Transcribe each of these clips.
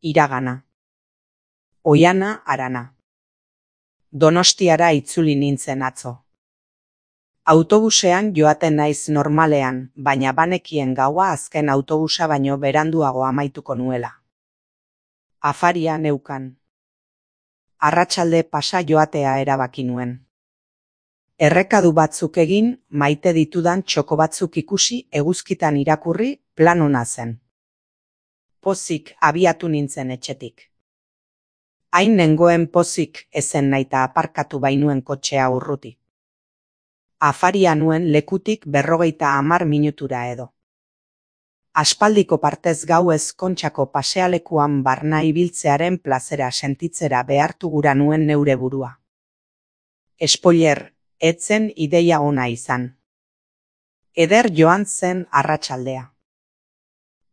Iragana. Oihana harana. Donostiara itzuli nintzen atzo. Autobusean joaten naiz normalean, baina banekien gaua azken autobusa baino beranduago amaituko nuela. Afaria neukan. Arratsalde pasa joatea erabaki nuen. Errekadu batzuk egin, maite ditudan txoko batzuk ikusi, eguzkitan irakurri, plan ona zen. Pozik abiatu nintzen etxetik. Hain nengoen pozik ezen naita aparkatu bainuen kotxea urruti. Afaria nuen lekutik 50 minutura edo. Aspaldiko partez gauez Kontxako pasealekuan barna ibiltzearen plazera sentitzera behartu gura nuen neure burua. Spoiler, etzen ideia ona izan. Eder joan zen arratsaldea.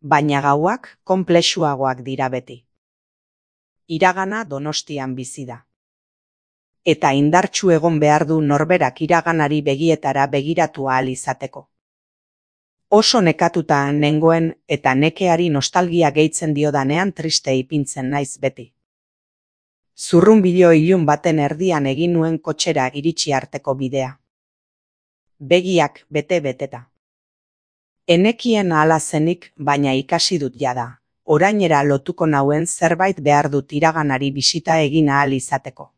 Baina gauak konplexuagoak dira beti. Iragana Donostian bizi da. Eta indartsu egon behar du norberak iraganari begietara begiratu ahal izateko. Oso nekatuta nengoen eta nekeari nostalgia gehitzen diodanean triste ipintzen naiz beti. Zurrunbilo ilun baten erdian egin nuen kotxera iritsi arteko bidea. Begiak bete-beteta. Enekien ahala zenik, baina ikasi dut jada. Orainera lotuko nauen zerbait behar dut iraganari bisita egin ahal izateko.